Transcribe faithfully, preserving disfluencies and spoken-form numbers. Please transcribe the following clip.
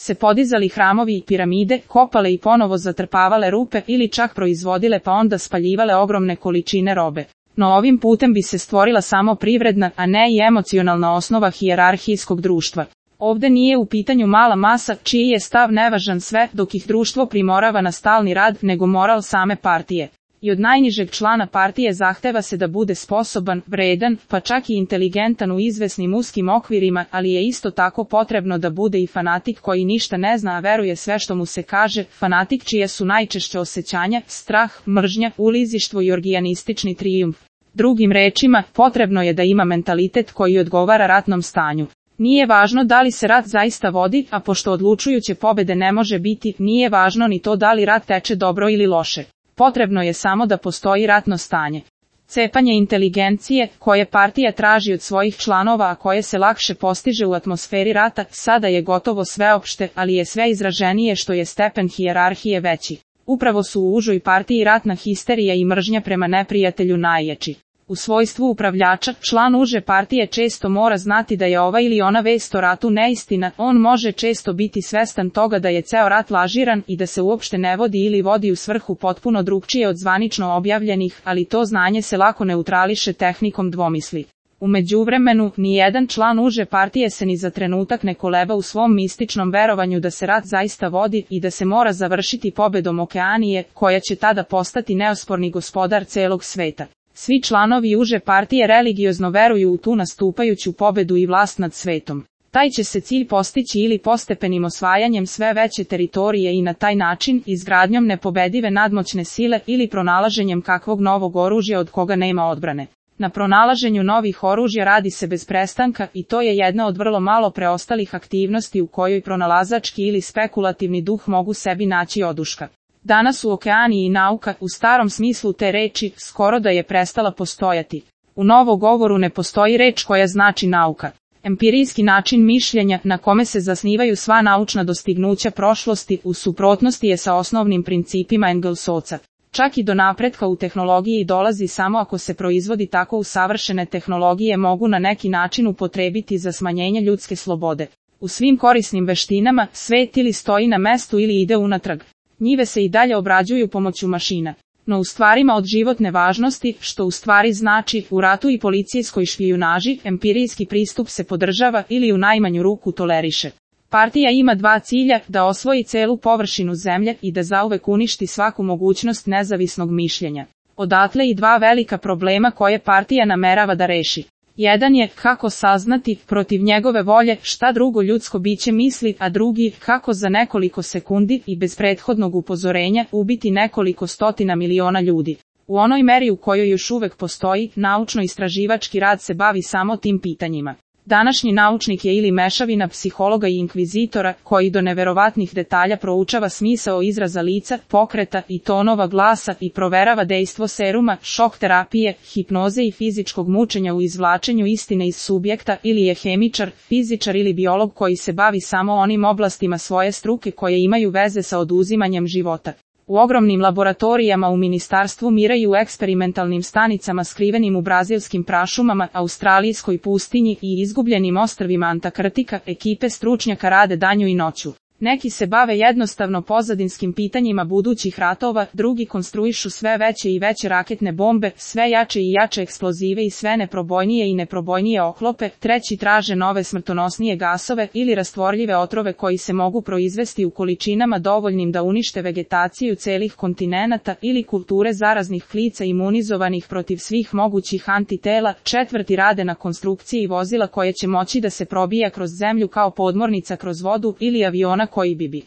se podizali hramovi i piramide, kopale i ponovo zatrpavale rupe ili čak proizvodile pa onda spaljivale ogromne količine robe. No ovim putem bi se stvorila samo privredna, a ne i emocionalna osnova hijerarhijskog društva. Ovde nije u pitanju mala masa, čiji je stav nevažan sve dok ih društvo primorava na stalni rad, nego moral same partije. I od najnižeg člana partije zahteva se da bude sposoban, vredan, pa čak i inteligentan u izvesnim uskim okvirima, ali je isto tako potrebno da bude i fanatik koji ništa ne zna a veruje sve što mu se kaže, fanatik čije su najčešće osjećanja, strah, mržnja, ulizištvo i orgijanistični trijumf. Drugim rečima, potrebno je da ima mentalitet koji odgovara ratnom stanju. Nije važno da li se rat zaista vodi, a pošto odlučujuće pobede ne može biti, nije važno ni to da li rat teče dobro ili loše. Potrebno je samo da postoji ratno stanje. Cepanje inteligencije, koje partija traži od svojih članova a koje se lakše postiže u atmosferi rata, sada je gotovo sveopšte, ali je sve izraženije što je stepen hijerarhije veći. Upravo su u užoj partiji ratna histerija i mržnja prema neprijatelju najjači. U svojstvu upravljača, član uže partije često mora znati da je ova ili ona vest o ratu neistina, on može često biti svestan toga da je ceo rat lažiran i da se uopšte ne vodi ili vodi u svrhu potpuno drugčije od zvanično objavljenih, ali to znanje se lako neutrališe tehnikom dvomisli. U međuvremenu, nijedan član uže partije se ni za trenutak ne koleba u svom mističnom verovanju da se rat zaista vodi i da se mora završiti pobedom Okeanije, koja će tada postati neosporni gospodar celog sveta. Svi članovi uže partije religiozno veruju u tu nastupajuću pobedu i vlast nad svetom. Taj će se cilj postići ili postepenim osvajanjem sve veće teritorije i na taj način izgradnjom nepobedive nadmoćne sile ili pronalaženjem kakvog novog oružja od koga nema odbrane. Na pronalaženju novih oružja radi se bez prestanka i to je jedna od vrlo malo preostalih aktivnosti u kojoj pronalazački ili spekulativni duh mogu sebi naći oduška. Danas u Okeaniji nauka, u starom smislu te reči, skoro da je prestala postojati. U novogovoru ne postoji reč koja znači nauka. Empirijski način mišljenja, na kome se zasnivaju sva naučna dostignuća prošlosti, u suprotnosti je sa osnovnim principima Engelsovca. Čak i do napretka u tehnologiji dolazi samo ako se proizvodi tako usavršene tehnologije mogu na neki način upotrebiti za smanjenje ljudske slobode. U svim korisnim veštinama, svet ili stoji na mestu ili ide unatrag. Njive se i dalje obrađuju pomoću mašina. No u stvarima od životne važnosti, što u stvari znači u ratu i policijskoj špijunaži, empirijski pristup se podržava ili u najmanju ruku toleriše. Partija ima dva cilja, da osvoji celu površinu zemlje i da zauvek uništi svaku mogućnost nezavisnog mišljenja. Odatle i dva velika problema koje partija namerava da reši. Jedan je kako saznati, protiv njegove volje, šta drugo ljudsko biće misli, a drugi, kako za nekoliko sekundi i bez prethodnog upozorenja ubiti nekoliko stotina miliona ljudi. U onoj meri u kojoj još uvek postoji, naučno-istraživački rad se bavi samo tim pitanjima. Današnji naučnik je ili mešavina psihologa i inkvizitora, koji do neverovatnih detalja proučava smisao izraza lica, pokreta i tonova glasa i proverava dejstvo seruma, šok terapije, hipnoze i fizičkog mučenja u izvlačenju istine iz subjekta, ili je hemičar, fizičar ili biolog koji se bavi samo onim oblastima svoje struke koje imaju veze sa oduzimanjem života. U ogromnim laboratorijama u Ministarstvu mira i u eksperimentalnim stanicama skrivenim u brazilskim prašumama, australijskoj pustinji i izgubljenim ostrvima Antarktika, ekipe stručnjaka rade danju i noću. Neki se bave jednostavno pozadinskim pitanjima budućih ratova, drugi konstruišu sve veće i veće raketne bombe, sve jače i jače eksplozive i sve neprobojnije i neprobojnije oklope, treći traže nove smrtonosnije gasove ili rastvorljive otrove koji se mogu proizvesti u količinama dovoljnim da unište vegetaciju celih kontinenata ili kulture zaraznih klica imunizovanih protiv svih mogućih antitela, četvrti rade na konstrukciji vozila koje će moći da se probija kroz zemlju kao podmornica kroz vodu ili aviona koji bi bi